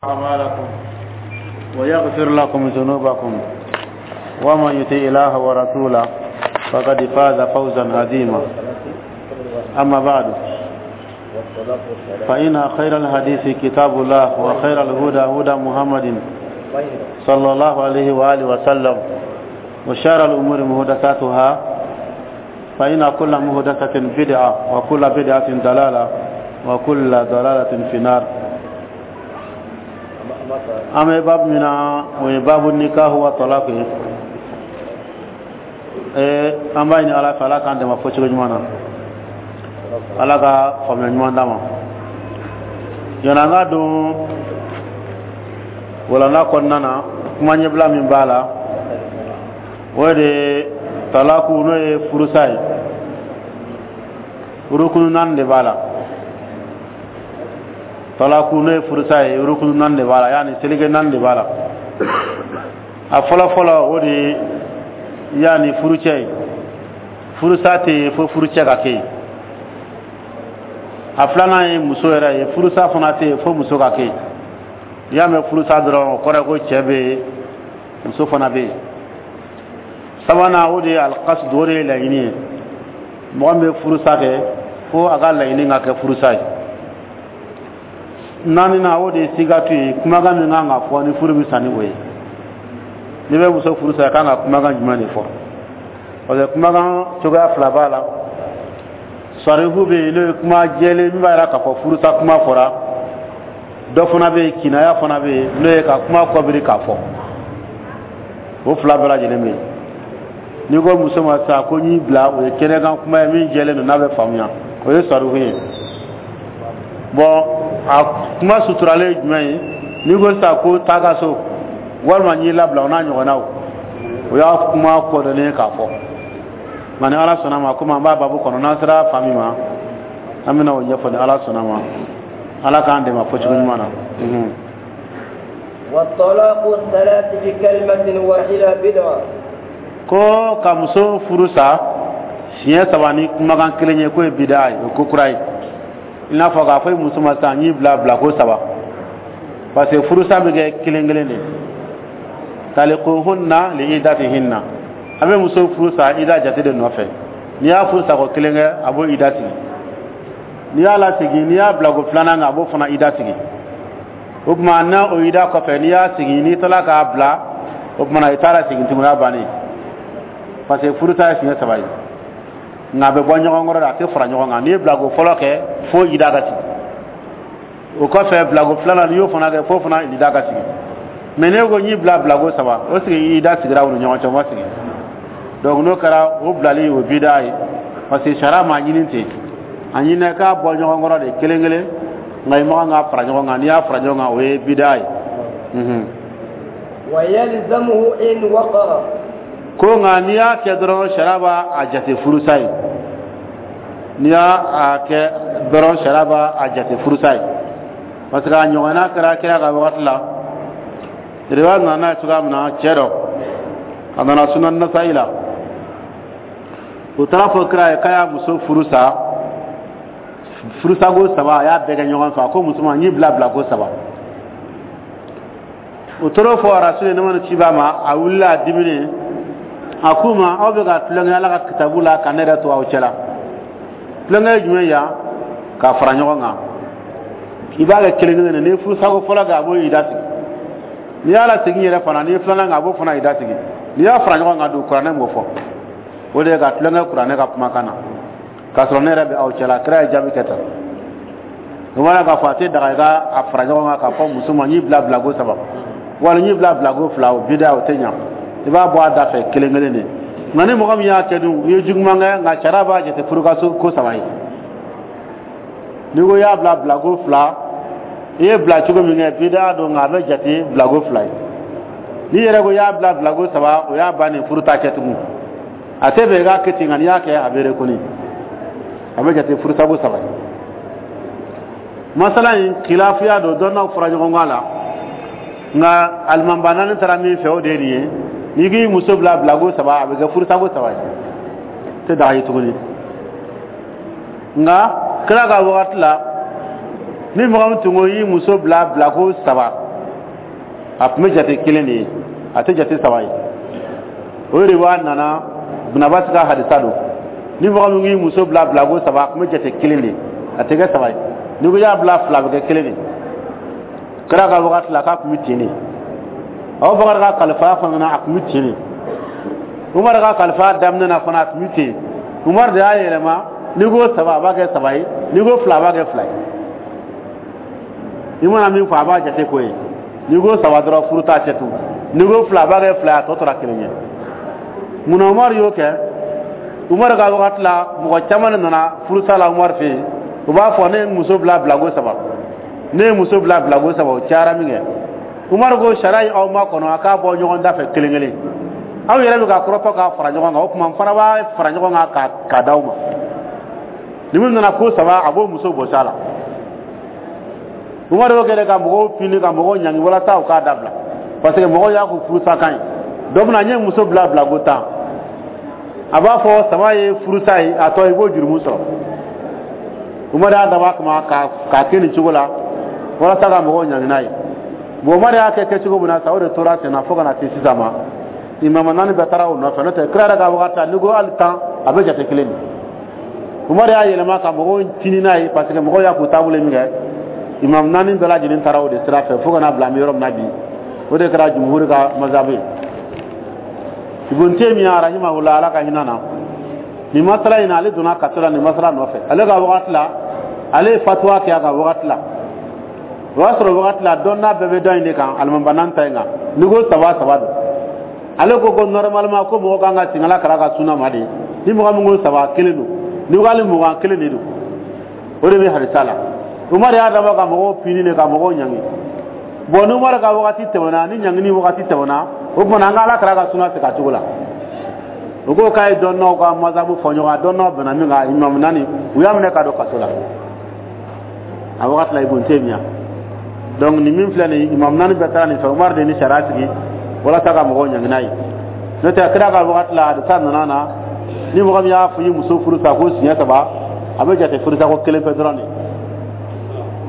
أعمالكم ويغفر لكم ذنوبكم، ومن يطع الله ورسوله فقد فاز فوزا عظيما. أما بعد، فإن خير الحديث كتاب الله، وخير الهدى هدى محمد صلى الله عليه وآله وسلم، وشر الأمور محدثاتها، فإن كل محدثة بدعة، وكل بدعة ضلالة، وكل ضلالة في النار. An bɛ babu min na, o ye babu nikahu wa talaq ye. An b'a ɲini Ala fɛ, Ala k'an dɛmɛ fɔcogo ɲuman na, Ala ka faamuya ɲuman d'an ma. Yanni an ka don walanda kɔnɔna na, kuma ɲɛbila min b'a la, o de talaku, n'o ye furusa ye, rukunu naani de b'a la. Talaku, n'o ye furusa ye, rukunu naani de b'a la, yaani seleke naani de b'a la. A fɔlɔ fɔlɔ, o de ye yaani furucɛ ye. Furusa tɛ yen fo furucɛ ka kɛ yen. A filanan ye muso yɛrɛ ye. Furusa fana tɛ yen fo muso ka kɛ yen. N'i y'a mɛn furusa dɔrɔn, o kɔrɔ ye ko cɛ bɛ yen, muso fana bɛ yen. Sabanan, o de ye alikasidu, o de ye laɲini ye. Mɔgɔ min bɛ furusa kɛ, fo a ka laɲini ka kɛ furusa ye. Naaninan, o de ye sigatu ye, kumakan min kan ka fɔ ni furu bɛ sa ni o ye. N'i bɛ muso furu sa, i kan ka kumakan jumɛn de fɔ? Parce que kumakan cogoya fila b'a la. Sarihu bɛ yen, n'o ye kuma jɛlen min b'a jira k'a fɔ furusa kuma fɔra. Dɔ fana bɛ yen, kinaya fana bɛ yen, n'o ye ka kuma kɔbiri k'a fɔ. O fila bɛɛ lajɛlen bɛ yen. N'i ko muso ma sisan ko n y'i bila, o ye kɛnɛkan kuma ye min jɛlen don, n'a bɛ faamuya, o ye sarihu ye. Bɔn, a kuma suturalen ye jumɛn ye? N'i ko sisan ko taa ka so, walima n y'i labila, o n'a ɲɔgɔnnaw, o y'a kuma kɔdɔnnen k'a fɔ. Nka ni Ala sɔnna ma, komi an b'a babu kɔnɔ, n'an sera fa min ma, an bɛna o ɲɛfɔ ni Ala sɔnna ma. Ala k'an dɛmɛ fɔcogo ɲuman na. والطلاق الثلاث بكلمة واحدة بدعة. Ko ka muso furu sa siɲɛ saba ni kumakan kelen ye, k'o ye bida ye, o ye ko kura ye. I n'a fɔ k'a fɔ i muso ma sisan n y'i bila bilako saba, parce que furusa bɛ kɛ kelen kelen de. Talikuhunna li idatihinna, a bɛ muso furu sa ida jate de nɔfɛ. N'i y'a furu sa ko kelen kɛ, a b'o ida sigi. N'i y'a lasegin, n'i y'a bila ko filanan kan, a b'o fana ida sigi. O tuma n'a o ida kɔfɛ, n'i y'a segin, n'i taara k'a bila, o tuma na i t'a lasegin tuguni, a bannen, parce que furusa ye siɲɛ saba ye. Nka a bɛ bɔ ɲɔgɔn kɔrɔ de, a tɛ fara ɲɔgɔn kan. N'i ye bilako fɔlɔ kɛ, fo ida ka sigi. O kɔfɛ, bilako filanan, n'i y'o fana kɛ, fo fana ida ka sigi. Mɛ n'e ko n y'i bila bilako saba, o sigi ida sigira u ni ɲɔgɔn cɛ, o ma sigi. Donc n'o kɛra, o bilali o bida ye, parce que sariya m'a ɲini ten. A ɲinɛ k'a bɔ ɲɔgɔn kɔrɔ de kelen kelen, nka i ma kan k'a fara ɲɔgɔn kan. N'i y'a fara ɲɔgɔn kan, o ye bida ye. ويلزمه إن وقع. Ko nka n'i y'a kɛ dɔrɔn, sariya b'a a jate furusa ye. N'i y'a a kɛ dɔrɔn, sariya b'a a jate furusa ye, parce que a ɲɔgɔnna kɛra kira ka wagati la. Riwaya nana n'a ye cogoya min na, cɛ dɔ a nana Sunan Nasayi la, o taara fɔ kira ye k'a y'a muso furu sa furusako saba, a y'a bɛɛ kɛ ɲɔgɔn fɛ. A ko muso ma n y'i bila bilako saba. O tor'o fɔ Rasulu ne mana ci b'a ma, a wulila a diminen, a k'u ma: aw bɛ ka tulonkɛ Ala ka kitabu la ka ne yɛrɛ to aw cɛla. Tulonkɛ ye jumɛn yan? K'a fara ɲɔgɔn kan. I b'a kɛ kelen kelen de. N'i ye furusako fɔlɔ kɛ, a b'o ida sigi. N'i y'a lasegin yɛrɛ fana, n'i ye filanan kɛ, a b'o fana ida sigi. N'i y'a fara ɲɔgɔn kan dun, kuranɛ m'o fɔ. O de ye ka tulonkɛ kuranɛ ka kumakan na k'a sɔrɔ ne yɛrɛ bɛ aw cɛla. Kira ye jaabi kɛ tan. O b'a la k'a fɔ a tɛ daga i ka a fara ɲɔgɔn kan k'a fɔ muso ma n y'i bila bilako saba, wali n y'i bila bilako fila. O bida, o tɛ ɲa. I b'a bɔ a da fɛ kelen kelen de. Nka ni mɔgɔ min y'a kɛ dun, i ye juguman kɛ, nka sariya b'a jate furukaso ko saba ye. N'i ko i y'a bila bilako fila, i ye bila cogo min kɛ, bida don, nka a bɛ jate bilako fila ye. N'i yɛrɛ ko i y'a bila bilako saba, o y'a bannen, furu t'a kɛ tugun. A tɛ bɛn i k'a kɛ ten, nka n'i y'a kɛ, a bɛ rekoni, a bɛ jate furusako saba ye. Masala in khilafiya don, dɔnnaw fɔra ɲɔgɔn kɔ a la, nka alimamba naani taara min fɛ, o de ye nin ye: n'i k'i muso bila bilako saba, a bɛ kɛ furusako saba ye, tɛ daga ye tuguni. Nka kira ka wagati la, ni mɔgɔ min tun ko i y'i muso bila bilako saba A tun bɛ jate kelen de ye, a tɛ jate saba ye. O de b'a nana Ibn Abbas ka hadisa don. Ni mɔgɔ min k'i muso bila bilako saba, a tun bɛ jate kelen de ye, a tɛ kɛ saba ye. N'i ko i y'a bila fila, a bɛ kɛ kelen de ye. Kira ka wagati la, k'a tun bɛ ten de. Abubakar ka kalifaya fana na, a tun bɛ ten de. Umar ka kalifaya daminɛ na fana, a tun bɛ ten. Umar de y'a yɛlɛma: n'i ko saba, a b'a kɛ saba ye; n'i ko fila, a b'a kɛ fila ye. I mana min fɔ, a b'a jate k'o ye. N'i ko saba dɔrɔn, furu t'a cɛ tun. N'i ko fila, a b'a kɛ fila ye, a tɔ tora kelen ye. Munna Umar y'o kɛ? Umar ka wagati la, mɔgɔ caman de nana furusa la Umar fɛ yen. U b'a fɔ: ne ye muso bila bilako saba, ne ye muso bila bilako saba. O cayara min kɛ, Umar ko: sariya ye aw ma kɔnɔ, a k'a bɔ ɲɔgɔn da fɛ kelen kelen. Aw yɛrɛ bɛ ka kɔrɔtɔ k'a fara ɲɔgɔn kan, o tuma n fana b'a fara ɲɔgɔn kan k'a d'aw ma. Ni min nana ko saba, a b'o muso bɔsi a la. Umar y'o kɛ ka mɔgɔw pini, ka mɔgɔw ɲangi, walasa u k'a dabila, parce que mɔgɔw y'a k'u furusa kan ye. Dɔ bɛna n ye muso bila bilako 10, a b'a fɔ saba ye furusa ye, a tɔ i b'o jurumu sɔrɔ. Umar y'a dabɔ a kama k'a kɛ nin cogo la walasa ka mɔgɔw ɲangi n'a ye. Bon, Umar y'a kɛ kɛcogo min na sa, o de tora ten na fo ka na se sisan ma. Imama naani bɛɛ taara o nɔfɛ. N'o tɛ, kira yɛrɛ ka wagati la, n'i ko hali 10, a bɛ jate kelen de. Umar y'a yɛlɛma ka mɔgɔw tini n'a ye, parce que mɔgɔw y'a k'u taabolo min kɛ. Imam naani bɛɛ lajɛlen taara o de sira fɛ fo ka na bila an bɛ yɔrɔ min na bi. O de kɛra jumhuri ka mazabu ye. Ibn Taymiya rahimahullah, Ala ka hinɛ na, nin masala in na, ale donna kaso la nin masala nɔfɛ. Ale ka wagati la, ale ye fatuwa kɛ a ka wagati la. O y'a sɔrɔ wagati la, dɔnna bɛɛ bɛ dɔ in de kan, alimamiba ta in kan. N'i ko saba, saba don. Ale ko normalement ko mɔgɔ kan ka segin Ala kira ka sunna ma de. Ni mɔgɔ min ko saba, kelen don; n'i ko hali 20, kelen de don. O de bɛ hadisa la. Umar y'a dabɔ ka mɔgɔw pini de, ka mɔgɔw ɲangi. Bon, ni Umar ka wagati tɛmɛna, ni ɲangini wagati tɛmɛna, o tuma an ka Ala kira ka sunna segin a cogo la. O ko k'a ye dɔnnaw ka mazabu fɔ ɲɔgɔn kan, dɔnnaw bɛnna min kan. Imamu naani, u y'a minɛ ka don kaso la a wagati la, Ibn Taymiya. Donc nin min filɛ nin ye, imamu naani bɛɛ taara nin fɛ. Umar de ni sariya sigi walasa ka mɔgɔw ɲangi n'a ye. N'o tɛ, kira ka wagati la, hadisa nana na, ni mɔgɔ min y'a fɔ i muso furu sa ko siɲɛ saba, a bɛ jate furusa ko kelen pe dɔrɔn de.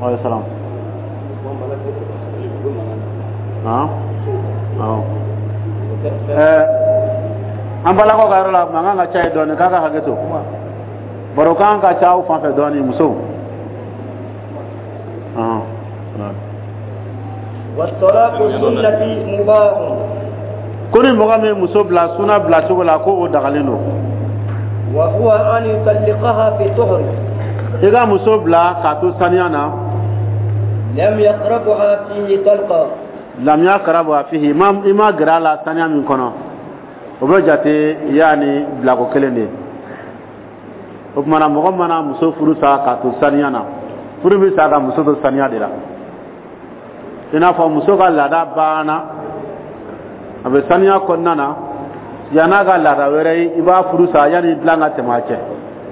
Wa salam. Awɔ, an balakaw ka yɔrɔ la, mankan ka ca yen dɔɔnin, k'a ka hakɛ to. Baro kan ka ca aw fan fɛ dɔɔnin, musow. والطلاق السنة مباح. Ko ni mɔgɔ min ye muso bila suna bila cogo la, ko o dagalen don. وهو أن يطلقها في طهر. I ka muso bila k'a to saniya na. لم يقربها فيه طلقة. لم يقربها فيه, i ma gɛrɛ a la saniya min kɔnɔ, o bɛ jate yaani bilako kelen de ye. O tuma na, mɔgɔ mana muso furu sa k'a to saniya na, furu bɛ sa ka muso to saniya de la. I n'a fɔ muso ka laada banna, a bɛ saniya kɔnɔna na, yann'a ka laada wɛrɛ ye, i b'a furu sa yanni dilan ka tɛmɛ a cɛ.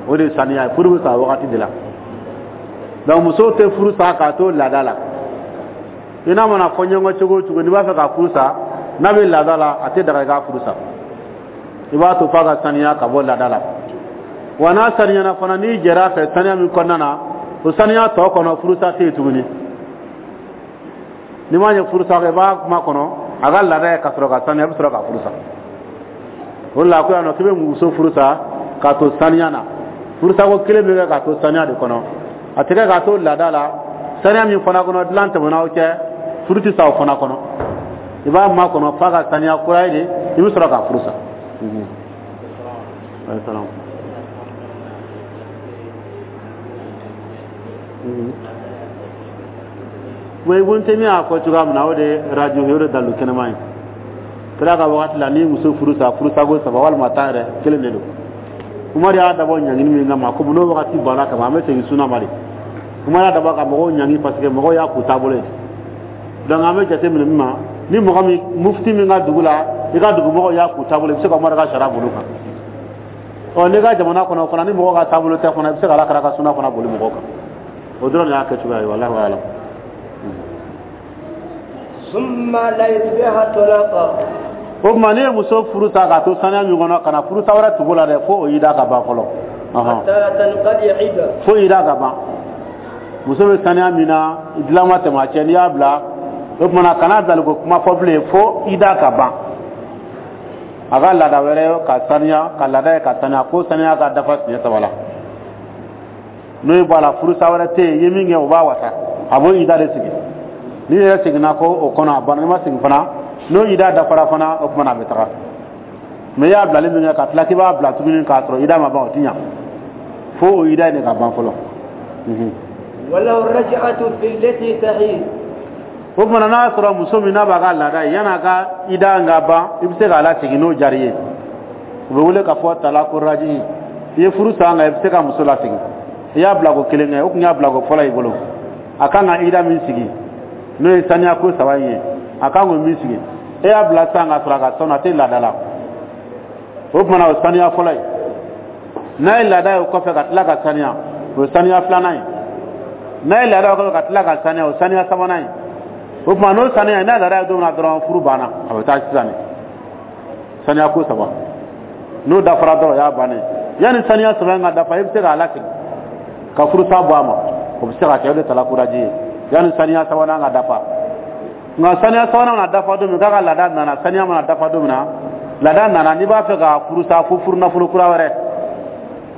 O de ye saniya ye. Furu bɛ sa wagati de la. Donc muso tɛ furu sa k'a to laada la. I n'a mana fɔ ɲɔgɔn cogo o cogo, n'i b'a fɛ ka furu sa n'a bɛ laada la, a tɛ daga i k'a furu sa. I b'a to f'a ka saniya ka bɔ laada la. Wa n'a saniyana fana, n'i jɛra a fɛ saniya min kɔnɔna na, o saniya tɔ kɔnɔ, furusa tɛ yen tuguni. N'i m'a ɲɛ furusa kɛ, i b'a kuma kɔnɔ a ka laada ye ka sɔrɔ ka saniya, i bɛ sɔrɔ ka furu sa. O de la ko yan nɔ k'i bɛ muso furu sa k'a to saniya na, furusako kelen bɛ kɛ k'a to saniya de kɔnɔ, a tɛ kɛ k'a to laada la. Saniya min fana kɔnɔ, dilan tɛmɛna aw cɛ, furu tɛ sa o fana kɔnɔ. I b'a makɔnɔ f'a ka saniya kura ye de, i bɛ sɔrɔ ka furu sa. Salam. Wa Ibn Taymiya y'a fɔ cogoya min na, o de ye radio ye, o de dalilu kɛnɛma ye. Kira ka wagati la, ni muso furu sa furusako saba walima 10 yɛrɛ, kelen de don. Umar y'a dabɔ ɲangini min kama, komi n'o wagati banna kama, an bɛ segin suna ma de. Umar y'a dabɔ ka mɔgɔw ɲangi, parce que mɔgɔw y'a k'u taabolo ye. Donc an bɛ jate minɛ min ma, ni mɔgɔ min mufti min ka dugu la, i ka dugumɔgɔw y'a k'u taabolo, i bɛ se ka Umar ka sariya boli kan. Ɔ, n'i ka jamana kɔnɔ fana, ni mɔgɔw ka taabolo tɛ fana, i bɛ se ka Ala kira ka suna fana boli mɔgɔw kan. O dɔrɔn de y'a kɛcogoya ye. Walahi alam. ثم لا يتبعها طلاقا. O tuma, n'i ye muso furu sa k'a to saniya min kɔnɔ, ka na furusa wɛrɛ tugu la dɛ, fo o y'i da ka ban fɔlɔ. حتى تنقضي عدة. Fo y'i da ka ban. Muso bɛ saniya min na, dilan ma tɛmɛ a cɛ, n'i y'a bila O tuma na, kana bilali ko kuma fɔ bilen fo i da ka ban. A ka laada wɛrɛ ka saniya, ka laada ye ka saniya, ko saniya ka dafa siɲɛ saba la. N'o ye bɔ a la, furusa wɛrɛ tɛ yen. I ye min kɛ, o b'a wasa, a b'o ida de sigi. N'i yɛrɛ seginna ko o kɔnɔ, a banna. N'i ma segin fana, n'o ida dafara fana, o tuma na a bɛ taga. Mɛ i y'a bilali min kɛ, ka tila k'i b'a bila tuguni k'a sɔrɔ ida ma ban, o ti ɲa, fo o ida in de ka ban fɔlɔ. وله الرجعة في التي تحيض. O tuma na, n'a y'a sɔrɔ muso min n'a b'a ka laada ye, yan'a ka ida ka ban, i bɛ se k'a lasegin n'o diyar'i ye. U bɛ wele k'a fɔ talaku raji. I ye furu san, nka i bɛ se ka muso lasegin. I y'a bila ko kelen kɛ, o tun y'a bila ko fɔlɔ i bolo. A kan ka ida min sigi, n'o ye saniya ko saba in ye, a kan k'o min sigi, e y'a bila sisan ka sɔrɔ a ka sanu, a tɛ laada la. O tuma na, o saniya fɔlɔ ye. N'a ye laada ye o kɔfɛ ka tila ka saniya, o ye saniya filanan ye. N'a ye laada ye o kɔfɛ ka tila ka saniya, o ye saniya sabanan ye. O tuma n'o saniya, n'a laada ye don min na dɔrɔn, furu banna, a bɛ taa sisan de. Saniya ko saba, n'o dafara dɔrɔn, o y'a bannen. Yanni saniya saba in ka dafa, i bɛ se k'a lasegin ka furusa bɔ a ma, o bɛ se ka kɛ. O de talaku raji ye, yanni saniya sabanan ka dafa. Nka saniya sabanan mana dafa don min, k'a ka laada nana, saniya mana dafa don min na, laada nana, n'i b'a fɛ ka furusa, fo furu nafolo kura wɛrɛ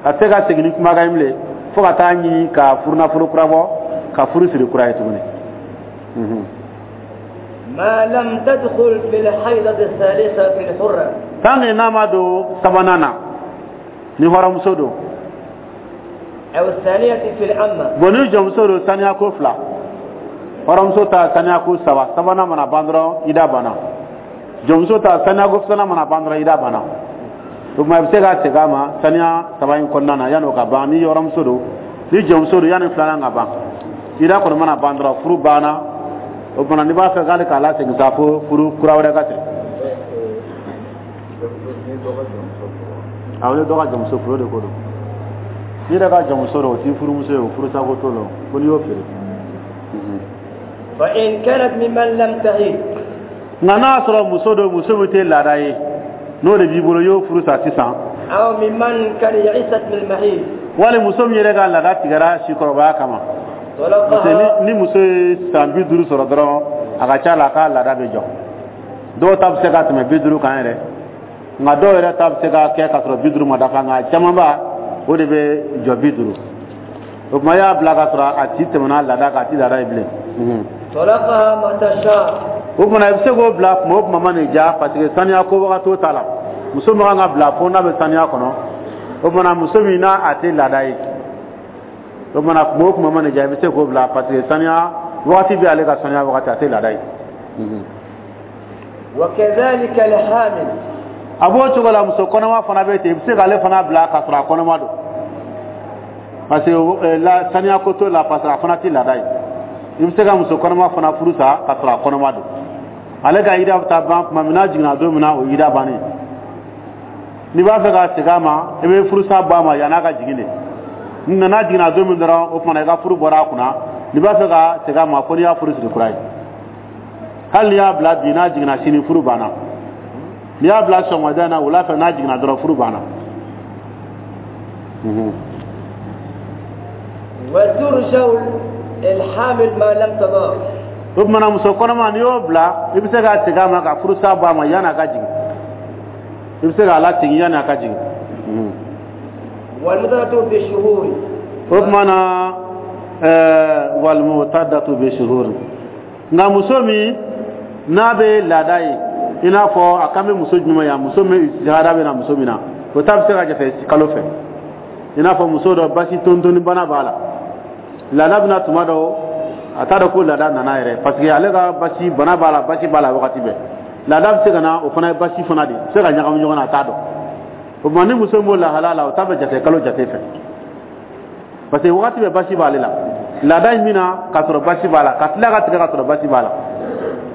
ka se ka segin ni kumakan ye bilen, fo ka taa ɲini ka furu nafolo kura bɔ, ka furu siri kura ye tuguni. ما لم تدخل في الحيضة الثالثة في الحرة. Tant que n'a ma don sabanan na, ni hɔrɔnmuso don. أو الثانية في الأمة. Bon, ni jɔnmuso don, saniya ko fila. Hɔrɔnmuso ta, saniya ko saba. Sabanan mana ban dɔrɔn, ida banna. Jɔnmuso ta, saniya ko filanan mana ban dɔrɔn, ida banna. O tuma, i bɛ se ka segin a ma saniya saba in kɔnɔna na yanni o ka ban, ni hɔrɔnmuso don. Ni jɔnmuso don, yanni filanan ka ban, ida kɔni mana ban dɔrɔn, furu banna. O tuma, n'i b'a fɛ k'ale k'a lasegin sa, fo furu kura wɛrɛ ka siri. Awɔ, ni dɔ ka jɔnmuso furu, o de ko don. N'i yɛrɛ ka jɔnmuso don, o t'i furumuso ye, o furusako t'o la, fo n'i y'o feere. فإن كانت ممن لم تحيض. Nka n'a y'a sɔrɔ muso don, muso min tɛ laada ye, n'o de b'i bolo, i y'o furu sa sisan. أو ممن قد يئست من المحيض. Wali muso min yɛrɛ ka laada tigɛra sikɔrɔbaya kama, parce que طلقها. ni muso ye san 50 sɔrɔ dɔrɔn, a ka ca la a ka laada bɛ jɔ. Dɔw ta bɛ se ka tɛmɛ 50 kan yɛrɛ, nka dɔw yɛrɛ ta bɛ se ka kɛ ka sɔrɔ 50 ma dafa, nka camanba o de bɛ jɔ 50. O tuma, i y'a bila ka sɔrɔ a ti tɛmɛna laada kan, a ti laada ye bilen. طلقها متى شاء. O tuma, i bɛ se k'o bila tuma o tuma ma nin diya, parce que saniya ko wagati t'o ta la. Muso min kan ka bila, fo n'a bɛ saniya kɔnɔ. O tuma na, muso min n'a a tɛ laada ye, o tuma na, tuma o tuma ma nin diya, i bɛ se k'o bila, parce que saniya wagati bɛ ale ka saniya wagati, a tɛ laada ye. وكذلك الحامل. A b'o cogo la, muso kɔnɔma fana bɛ ten. I bɛ se k'ale fana bila k'a sɔrɔ a kɔnɔma don, parce que la saniya ko t'o la, parce que a fana tɛ laada ye. I bɛ se ka muso kɔnɔma fana furu sa k'a sɔrɔ a kɔnɔma don. Ale ka ida bɛ taa ban tuma min, n'a jiginna don min na, o ye ida bannen. N'i b'a fɛ ka segin a ma, i bɛ furusa bɔ a ma yann'a ka jigin de. Nka n'a jiginna don min dɔrɔn, o tuma na i ka furu bɔra a kunna. N'i b'a fɛ ka segin a ma, fo n'i y'a furu siri kura ye. Hali n'i y'a bila bi, n'a jiginna sini, furu banna. N'i y'a bila sɔgɔmada in na, wula fɛ, n'a jiginna dɔrɔn, furu banna. وترجع الحامل ما لم تضع. O tuma na, muso kɔnɔma, n'i y'o bila, i bɛ se ka segin a ma ka furusa bɔ a ma yanni a ka jigin. I bɛ se k'a lasegin yanni a ka jigin. والمعتدة بالشهور. O tuma na, والمعتدة بالشهور. Nka muso min n'a bɛ laada ye, i n'a fɔ a kan bɛ muso jumɛn yan? Muso min istihada bɛ na muso min na, o ta bɛ se ka jate kalo fɛ. I n'a fɔ muso dɔ, basi tontoni bana b'a la, laada bɛna tuma dɔ, a t'a dɔn ko laada nana yɛrɛ, parce que ale ka basi bana b'a la, basi b'a la wagati bɛɛ. Laada bɛ se ka na, o fana ye basi fana de ye, bɛ se ka ɲagami ɲɔgɔn na, a t'a dɔn. O tuma, ni muso min b'o lahala la, o ta bɛ jate kalo jate fɛ, parce que wagati bɛɛ basi b'ale la. Laada in bɛna k'a sɔrɔ basi b'a la, ka tila ka tigɛ ka sɔrɔ basi b'a la.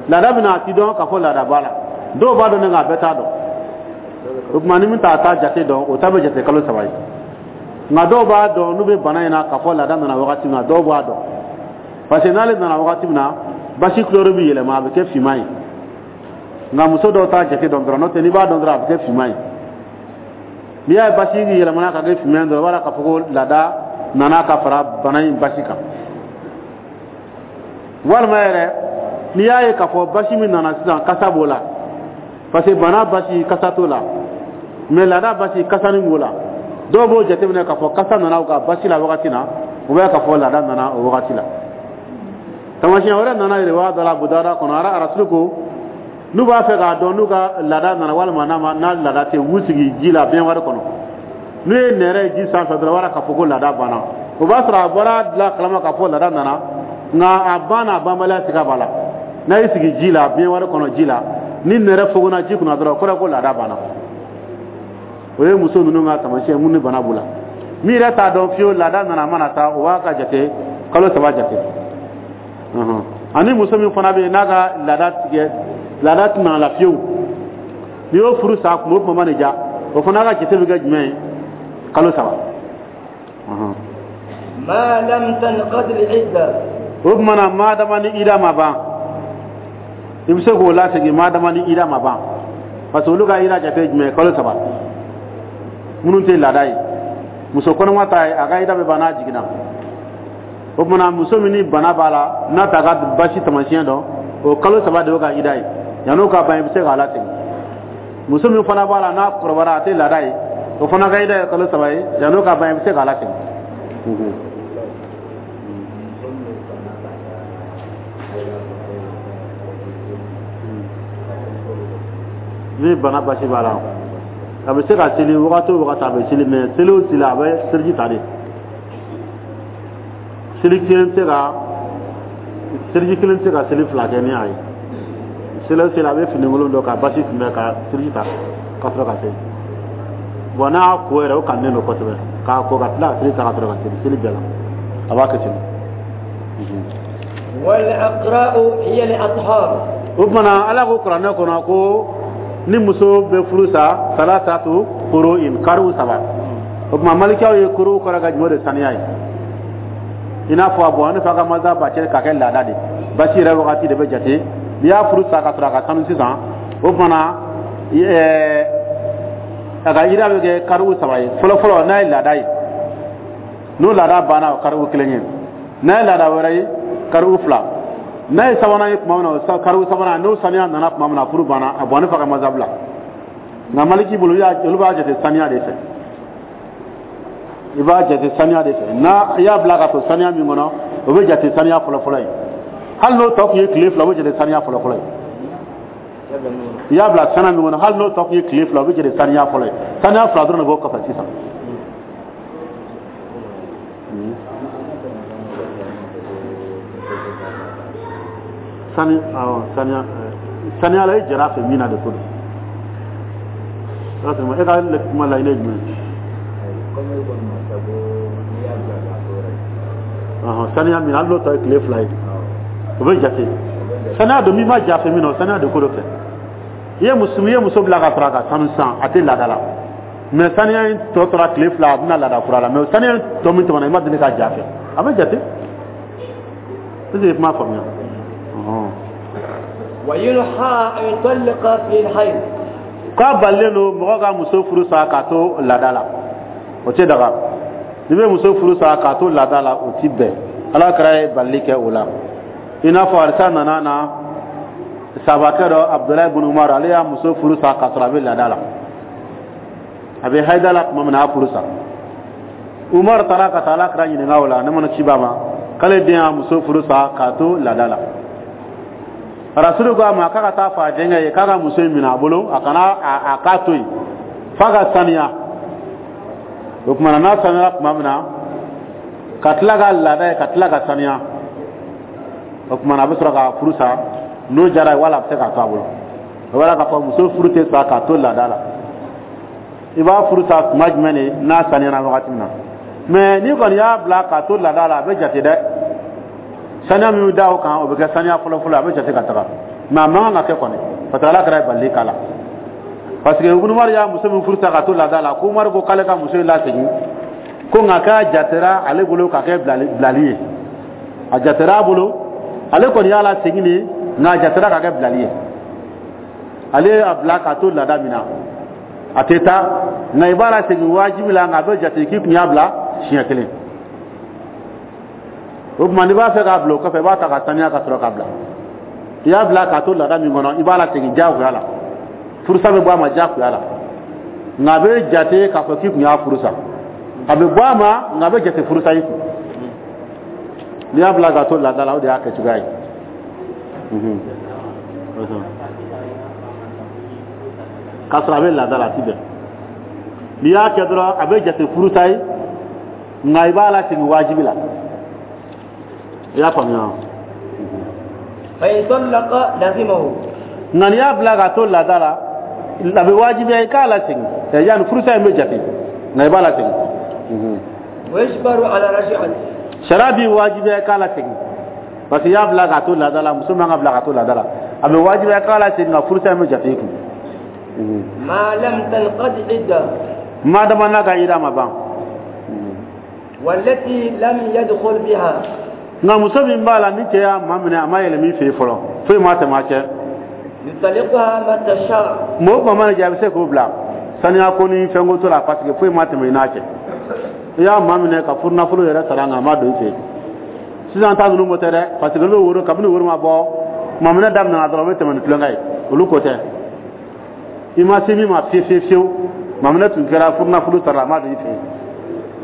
Laada bɛna, a ti dɔn k'a fɔ laada b'a la. Dɔw b'a dɔn ne, nka a bɛɛ t'a dɔn. O tuma, ni min t'a ta jate dɔn, o ta bɛ jate kalo 3 ye. Nka dɔw b'a dɔn, n'u bɛ bana in na, k'a fɔ laada nana wagati min na, dɔw b'a dɔn, parce que n'ale nana wagati min na, basi couleur bɛ yɛlɛma, a bɛ kɛ finman ye. Nka muso dɔw t'a jate dɔn dɔrɔn, n'o tɛ n'i b'a dɔn dɔrɔn, a bɛ kɛ finman ye. N'i y'a ye basi yɛlɛmana ka kɛ finman ye dɔrɔn, i b'a dɔn k'a fɔ ko laada nana ka fara bana in basi kan. Walima yɛrɛ N'i y'a ye k'a fɔ basi min nana sisan kasa b'o la, parce que bana basi kasa t'o la, mais laada basi kasani b'o la. Dɔw b'o jateminɛ k'a fɔ kasa nana u ka basi la wagati na, u b'a k'a fɔ laada nana o wagati la. Taamasiyɛn wɛrɛ nana yɛrɛ dɔ la Abu Dawuda kɔnɔ, Arasulu ko n'u b'a fɛ k'a dɔn n'u ka laada nana walima n'a laada tɛ, u b'u sigi ji la bɛnwari kɔnɔ. N'u ye nɛrɛ ye ji sanfɛ dɔrɔn, wala k'a fɔ ko laada banna. O b'a sɔrɔ a bɔra dilan kalama k'a fɔ laada nana, nka a ban n'a banbaliya siga b'a la. N'a y'i sigi ji la bɛnwari kɔnɔ ji la, ni nɛrɛ fogona ji kunna dɔrɔn, o kɔrɔ ko laada banna. O ye muso ninnu ka taamasiyɛn mun ni bana b'u la. Min yɛrɛ t'a dɔn fiyewu laada nana a mana taa, o b'a ka jate kalo 3 jate. Ani muso min fana bɛ yen n'a ka laada tigɛ, laada tɛna la fiyewu, n'i y'o furu sa kuma o kuma ma nin ja, o fana ka jate bɛ kɛ jumɛn ye? Kalo 3. ما لم تنقض العدة. O tuma na, maa dama ni ida ma ban, i bɛ se k'o lasegin maa dama ni ida ma ban, parce que olu ka ida jate ye jumɛn ye? Kalo 3. Minnu tɛ laada ye, muso kɔnɔma ta ye, a ka ida bɛ ban n'a jiginna. O tuma na, muso min ni bana b'a la, n'a t'a ka basi taamasiyɛn dɔn, o kalo 3 de y'o ka ida ye. Yan'o ka ban, i bɛ se k'a lasegin. Muso min fana b'a la n'a kɔrɔbayara, a tɛ laada ye, o fana ka ida ye kalo 3 ye. Yan'o ka ban, i bɛ se k'a lasegin. Ni bana basi b'a la, a bɛ se ka seli wagati o wagati, a bɛ seli, mais seli o seli, a bɛ seliji ta de. Seli kelen tɛ se ka, seliji kelen tɛ se ka seli 2 kɛ ni a ye. Seli o seli, a bɛ finikolon dɔ ka basi kunbɛn ka seliji ta ka sɔrɔ ka seli. Bon, n'a y'a ko yɛrɛ, o kanunen don kosɛbɛ k'a ko ka tila ka seli ta ka sɔrɔ ka seli seli bɛɛ la, a b'a kɛ ten. والأقراء هي الأطهار. O tuma na, Ala ko kuranɛ kɔnɔ ko ni muso bɛ furu sa, salasatu quru in, kariw 3. O tuma, malikiyaw ye kuru kɔrɔ ka jumɛn de saniya ye? I n'a fɔ a bɔn ne fa ka masa ba cɛ ka kɛ laada de basi yɛrɛ wagati de bɛ jate. N'i y'a furu sa ka sɔrɔ a ka sanu sisan, o tuma na, a ka ida bɛ kɛ kariw 3 ye. Fɔlɔ fɔlɔ, n'a ye laada ye, n'o laada banna, o kariw 1 ye. N'a ye laada wɛrɛ ye, kariw 2. N'a ye sabanan ye tuma min na, o kariw sabanan, n'o saniya nana tuma min na, furu banna. A bɔn ne fa ka masa bila. Nka maliki bolo, olu b'a jate saniya de fɛ. I b'a jate saniya de fɛ. N'a i y'a bila ka to saniya min kɔnɔ, o bɛ jate saniya fɔlɔ-fɔlɔ ye. Hali n'o tɔ tun ye tile 2, o bɛ jate saniya fɔlɔ-fɔlɔ ye. I y'a bila saniya min kɔnɔ, hali n'o tɔ tun ye tile 2, o bɛ jate saniya fɔlɔ ye. Saniya 2 dɔrɔn de b'o kɔfɛ sisan. Sani awɔ, saniya saniya la, e jɛra a fɛ min na de ko don. E ka kuma laɲini ye jumɛn ye? Saniya min, hali n'o tɔ ye tile 2 ye, o bɛ jate saniya don. Min ma ja fɛ min na, o saniya de ko dɔ fɛ. I ye muso, i ye muso bila ka sɔrɔ a ka sanu san, a tɛ laada la, mais saniya in tɔ tora tile 2, a bɛna laada kura la, mais saniya in tɔ min tɛmɛna, i ma deli ka ja fɛ, a bɛ jate. Est ce que i kuma faamuya? وينهى أن يطلق في الحيض. K'a balilen don mɔgɔ ka muso furu sa k'a to laada la, o tɛ daga. N'i bɛ muso furu sa k'a to laada la, o ti bɛn. Ala kɛra ye balili kɛ o la. I n'a fɔ alisa nana na sabakɛ dɔ, Abudulayi bin Umar, ale y'a muso furu sa k'a sɔrɔ a bɛ laada la, a bɛ hayida la tuma min na, a y'a furu sa. Umar taara ka taa Ala kɛra ɲininka o la, ne mana ci b'a ma k'ale den y'a muso furu sa k'a to laada la. Rasulu ko a ma k'a ka taa fɔ a denkɛ ye k'a ka muso in minɛ a bolo, a kana a k'a to yen f'a ka saniya. O tuma na, n'a saniyara tuma min na, ka tila ka laada ye, ka tila ka saniya, o tuma na, a bɛ sɔrɔ ka furu sa. N'o diyara ye, wala a bɛ se k'a to a bolo. O b'a k'a fɔ muso furu tɛ sa k'a to laada la. I b'a furu sa tuma jumɛn de? N'a saniyara wagati min na. Mais n'i kɔni y'a bila k'a to laada la, a bɛ jate dɛ. Saniya min bɛ da o kan, o bɛ kɛ saniya fɔlɔ-fɔlɔ, a bɛ jate ka taga, mais a man kan ka kɛ kɔni, parce que Ala kɛra ye balili k'a la. Parce que Umaru y'a muso min furu sa ka to laada la, ko Umaru ko k'ale ka muso in lasegin ko, nka k'a jatera ale bolo ka kɛ bilali ye. A jatera a bolo, ale kɔni y'a lasegin de, nka a jatera ka kɛ bilali ye. Ale y'a bila k'a to laada min na, a tɛ taa, nka i b'a lasegin wajibi la, nka a bɛ jate k'i tun y'a bila siɲɛ kelen. O tuma, n'i b'a fɛ k'a bila o kɔfɛ, i b'a ta ka saniya ka sɔrɔ k'a bila. I y'a bila k'a to laada min kɔnɔ, i b'a lasegin diyagoya la. Furusa bɛ bɔ a ma diyagoya la, nka a bɛ jate k'a fɔ k'i kun y'a furu sa. A bɛ bɔ a ma, nka a bɛ jate furusa i kun. N'i y'a bila k'a to laada la, o de y'a kɛcogoya ye. K'a sɔrɔ a bɛ laada la, a ti bɛn. N'i y'a kɛ dɔrɔn, a bɛ jate furusa ye, nka i b'a lasegin wajibi la. I y'a faamuya wa? فإن طلق لزمه. Nka n'i y'a bila k'a to laada la, a bɛ wajibiya i k'a lasegin. Yanni furusa in bɛ jate, nka i b'a lasegin. ويجبر على رجعته. Sariya b'i wajibiya i k'a lasegin, parce que i y'a bila k'a to laada la. Muso man ka bila k'a to laada la, a bɛ wajibiya i k'a lasegin, nka furusa in bɛ jate i kun. ما لم تنقض عدة. Ma dama n'a ka yira ma ban. والتي لم يدخل بها. Nka muso min b'a la, ni cɛ y'a maminɛ, a ma yɛlɛ min fɛ yen fɔlɔ, foyi ma tɛmɛ a cɛ. يطلقها متى شاء. Mɔgɔ o tuma mana jɛ, a bɛ se k'o bila saniya ko ni fɛnko t'o la, parce que foyi ma tɛmɛ i n'a cɛ. I y'a maminɛ ka furu nafolo yɛrɛ sara, nka a ma don i fɛ yen. Sisan ta ninnu ko tɛ dɛ, parce que olu bɛ woro kabini woro ma bɔ, maminɛ daminɛna dɔrɔn, u bɛ tɛmɛ ni tulonkɛ ye. Olu ko tɛ. I ma se min ma fiye fiye fiyewu, maminɛ tun kɛra, furu nafolo sara, a ma don i fɛ yen.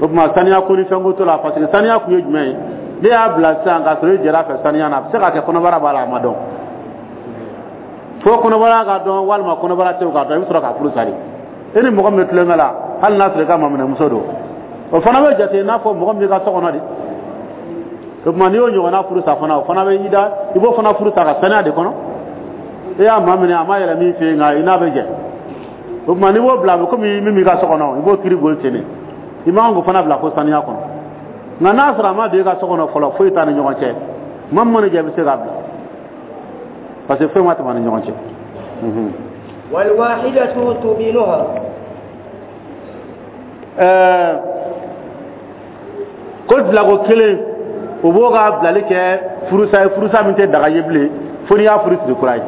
O tuma saniya ko ni fɛnko t'o la, parce que saniya kun ye jumɛn ye? Ne y'a bila sisan k'a sɔrɔ i jɛra a fɛ saniya na, a bɛ se ka kɛ kɔnɔbara b'a la, a ma dɔn. Fo kɔnɔbara ka dɔn walima kɔnɔbara tɛ o ka dɔn, i bɛ sɔrɔ k'a furu sari. E ni mɔgɔ min bɛ tulonkɛ la, hali n'a sɔrɔ i ka maminɛmuso don, o fana bɛ jate i n'a fɔ mɔgɔ min b'i ka so kɔnɔ de. O tuma n'i y'o ɲɔgɔnna furu sa fana, o fana bɛ i da, i b'o fana furu sa ka saniya de kɔnɔ. E y'a maminɛ, a ma yɛlɛ min fɛ yen, nka i n'a bɛ jɛ. O tuma n'i b'o bila, a bɛ komi min b'i ka so kɔnɔ, i b'o kiiri boli ten de. I man k'o fana bila fo saniya kɔnɔ. Nka n'a sɔrɔ a ma don i ka so kɔnɔ fɔlɔ, foyi t'a ni ɲɔgɔn cɛ, maa min mana jɛ, i bɛ se k'a bila, parce que foyi ma tɛmɛ a ni ɲɔgɔn cɛ. والواحدة تبينها. Ko bilako kelen, o b'o ka bilali kɛ furusa ye, furusa min tɛ daga ye bilen fo n'i y'a furu siri kura ye.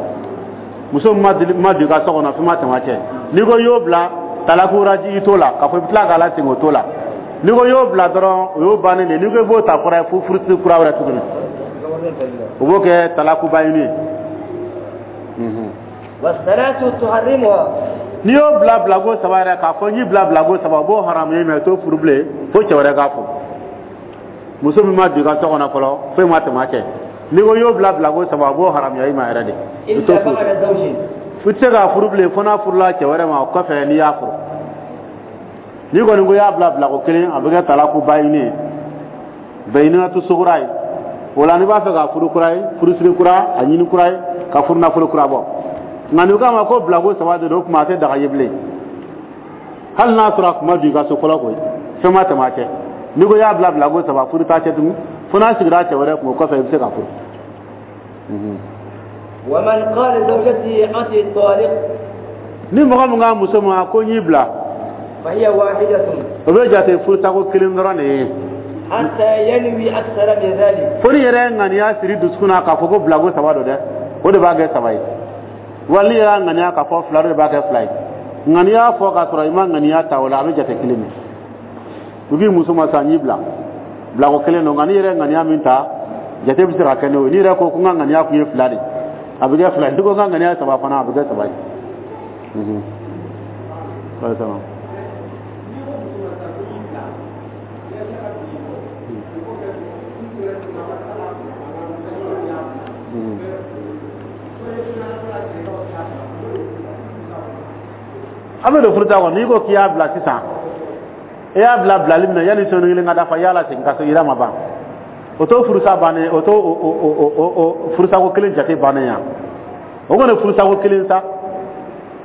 Muso min ma deli ma don i ka so kɔnɔ, fɛn ma tɛmɛ a cɛ, n'i ko i y'o bila talaku raji, i t'o la k'a fɔ i bɛ tila k'a lasegin, o t'o la. N'i ko i y'o bila dɔrɔn, o y'o bannen de ye. N'i ko i b'o ta kura ye, fo furu siri kura wɛrɛ tuguni, o b'o kɛ talakuba ɲini ye. والثلاث تحرمها. N'i y'o bila bilako saba yɛrɛ, k'a fɔ n y'i bila bilako saba, o b'o haramu ye, mɛ t'o furu bilen fo cɛ wɛrɛ k'a furu. Muso min ma don i ka so kɔnɔ fɔlɔ, foyi ma tɛmɛ a cɛ, n'i ko i y'o bila bilako saba, o b'o haramuya i ma yɛrɛ de. I t'o إلا furu. بعد زوج. I tɛ se k'a furu bilen fo n'a furula cɛ wɛrɛ ma o kɔfɛ, n'i y'a furu. N'i kɔni ko i y'a bila bilako kelen, a bɛ kɛ talaku bayini ye, bayinatu sugura ye. O la n'i b'a fɛ ka furu kura ye, furusiri kura, a ɲini kura ye, ka furu nafolo kura bɔ. Nka n'i k'a ma ko bilako saba de don, o tuma a tɛ daga ye bilen, hali n'a sɔrɔ a kun ma don i ka so fɔlɔ koyi, fɛn ma tɛmɛ a cɛ. N'i ko i y'a bila bilako saba, furu t'a cɛ tugun fo n'a sigira cɛ wɛrɛ kun, o kɔfɛ i bɛ se ka furu. ومن قال لزوجته أنت طالق. Ni mɔgɔ min ka muso ma ko n y'i bila, فهي واحدة. o bɛ jate furusako kelen dɔrɔn de ye. حتى ينوي أكثر من ذلك. Fo ni yɛrɛ ye ŋaniya siri dusukun na k'a fɔ ko bilako saba don dɛ, o de b'a kɛ saba ye. Wali n'i yɛrɛ y'a ŋaniya k'a fɔ fila, o de b'a kɛ fila ye. Ŋaniya fɔ k'a sɔrɔ i ma ŋaniya ta, o la a bɛ jate kelen de. U k'i muso ma sa, n y'i bila, bilako kelen don. Nka n'i yɛrɛ ye ŋaniya min ta, jate bɛ se ka kɛ n'o ye. N'i yɛrɛ ko n ka ŋaniya kun ye fila de, a bɛ kɛ fila ye. N'i ko n ka ŋaniya ye saba fana, a bɛ kɛ saba ye. Wa salam. An bɛ don furusa kɔnɔ, n'i ko k'i y'a bila sisan, i y'a bila bilali min na, yanni sɔnni kelen ka dafa, i y'a lasegin ka sɔrɔ yira ma ban, o t'o furusa bannen, o t'o o furusako kelen jate bannen yan. O kɔni furusako kelen sa,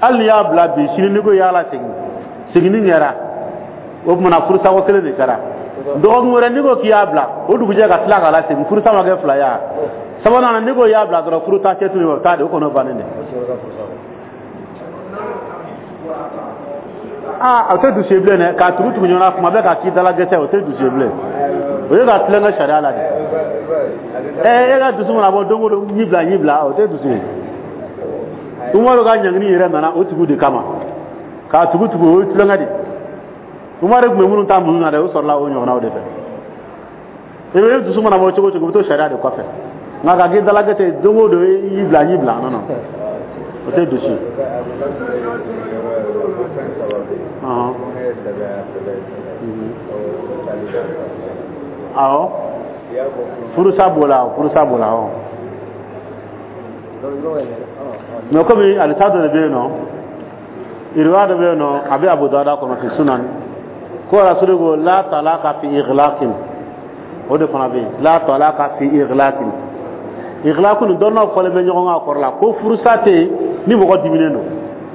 hali n'i y'a bila bi, sini n'i ko i y'a lasegin, seginni kɛra, o tuma na furusako kelen de kɛra. Dɔgɔkun wɛrɛ n'i ko k'i y'a bila, o dugujɛ ka tila k'a lasegin, furusa ma kɛ fila ye wa? Sabanan na, n'i ko i y'a bila dɔrɔn, furu t'a cɛ tuguni, o t'a de, o kɔni o bannen de. Aa, o tɛ dusu ye bilen dɛ, k'a tugu tugu ɲɔgɔn na kuma bɛɛ k'a k'i dala gɛsɛ, o tɛ dusu ye bilen. O ye ka tulonkɛ sariya la de. E ka dusu mana bɔ don o don, n y'i bila, n y'i bila, o tɛ dusu ye. Umaru ka ɲangini yɛrɛ nana o tigiw de kama, k'a tugu tugu, o ye tulonkɛ de. Umaru tun bɛ minnu ta minnu na dɛ, o sɔrɔla o ɲɔgɔnnaw de fɛ. I bɛ dusu mana bɔ cogo o cogo, i bɛ to sariya de kɔfɛ. Nka ka k'i dalakɛ don o don i y'i bila n y'i bila, non non, o tɛ dusu. Awɔ, furusa b'o la, furusa b'o la. Awɔ, mais komi alisa dɔ de bɛ yen nɔ, iriwa dɔ bɛ yen nɔ, a bɛ Abu Dawuda kɔnɔ fi sunan, ko rasulu ko la talaka fi ighlaqin. O de fana bɛ yen, la talaka fi ighlaqin. Ighlaqin dɔnnaw fɔlen bɛ ɲɔgɔn kan kɔrɔ la ko furusa tɛ yen ni mɔgɔ diminen don.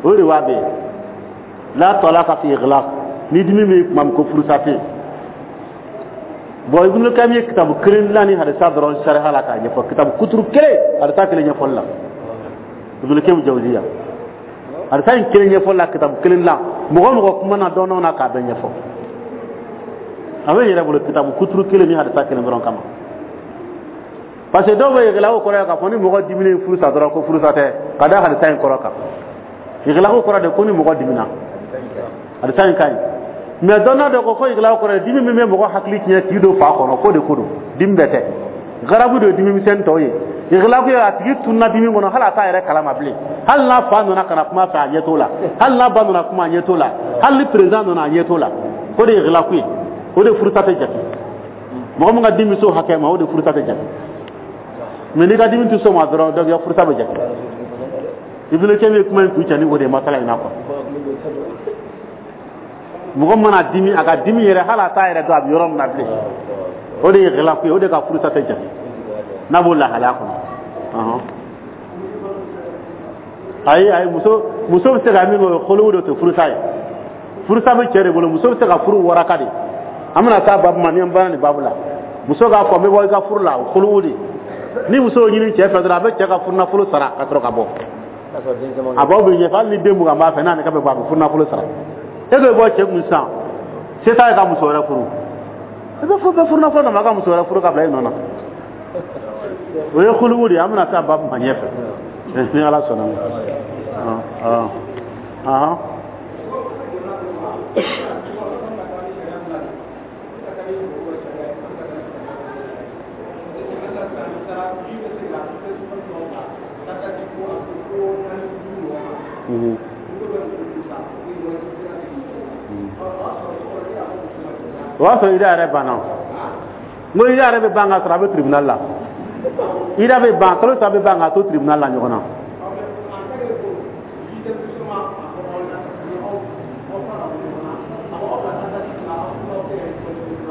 O de b'a bɛ yen, la talaka fi ighlaq, ni dimi bɛ kuma min ko furusa tɛ yen. Bon, Ibn Qayyim ye kitabu kelen dilan ni hadisa dɔrɔn sariya la k'a ɲɛfɔ, kitabu kuturu kelen, hadisa kelen ɲɛfɔli la. Ibn Qayyim Jawziya hadisa in kelen ɲɛfɔli la, kitabu kelen dilan, mɔgɔ o mɔgɔ kuma na dɔɔnin na k'a bɛɛ ɲɛfɔ. A bɛ yɛrɛ bolo kitabu kuturu kelen ni hadisa kelen dɔrɔn kama, parce que dɔw bɛ yɛlɛla o kɔrɔ ye k'a fɔ ni mɔgɔ diminen furusa dɔrɔn ko furusa tɛ, ka da hadisa in kɔrɔ kan. Yɛlɛla o kɔrɔ de ko ni mɔgɔ dimina, hadisa in ka ɲi. Mais dɔnna dɔ ko yɛlɛla o kɔrɔ ye dimi min bɛ mɔgɔ hakili tiɲɛ k'i don fa kɔnɔ, k'o de ko don, dimi bɛɛ tɛ. Garabu de ye dimi misɛnnin tɔw ye. Yɛlɛla ko a tigi tununa dimi kɔnɔ, hali a t'a yɛrɛ kalama bilen. Hali n'a fa nana ka na kuma fɛ, a ɲɛ t'o la. Hali n'a ba nana kuma, a ɲɛ t'o la. Hali ni président nana, a ɲɛ t'o la. O de ye yɛlɛla ko ye, o de furusa tɛ jate. Mɔgɔ min ka dimi s'o hakɛ ma, o de furusa tɛ jate. Mais n'i ka dimi tɛ s'o ma dɔrɔn, donc i ka furusa bɛ jate. Ibn Qayyim ye kuma in kun cɛ ni o de ye masala in na quoi. Mɔgɔ mana dimi, a ka dimi yɛrɛ, hali a t'a yɛrɛ dɔn a bɛ yɔrɔ min na bilen, o de ye yɛlɛla ko ye, o de ka furusa tɛ jate n'a b'o lahalaya kɔnɔ. Ayi ayi, muso bɛ se ka min kɛ, o ye kolow de tɛ furusa ye. Furusa bɛ cɛ de bolo, muso bɛ se ka furu waraka de. An bɛna taa babu ma ni an banna nin babu la. Muso k'a fɔ n bɛ bɔ i ka furu la, o kolow de. Ni muso y'o ɲini cɛ fɛ dɔrɔn, a bɛ cɛ ka furunafolo sara ka sɔrɔ ka bɔ. A b'aw bɛ ɲɛfɔ, hali ni den 20 b'a fɛ, n'ale ka bɛ bɔ, a bɛ furunafolo sara. E bɛ bɔ cɛ kun sisan, se t'a ye ka muso wɛrɛ furu, i bɛ furu bɛ furunafolo d'a ma, a ka muso wɛrɛ furu ka bila i nɔ na. O ye kulugu de ye, an bɛna taa babu ma ɲɛfɛ ni Ala sɔnna ma. O y'a sɔrɔ ida yɛrɛ banna. N ko ida yɛrɛ bɛ ban ka sɔrɔ a bɛ tribunal la. Ida bɛ ban, kalo 3 bɛ ban k'a to tribunal la ɲɔgɔn na.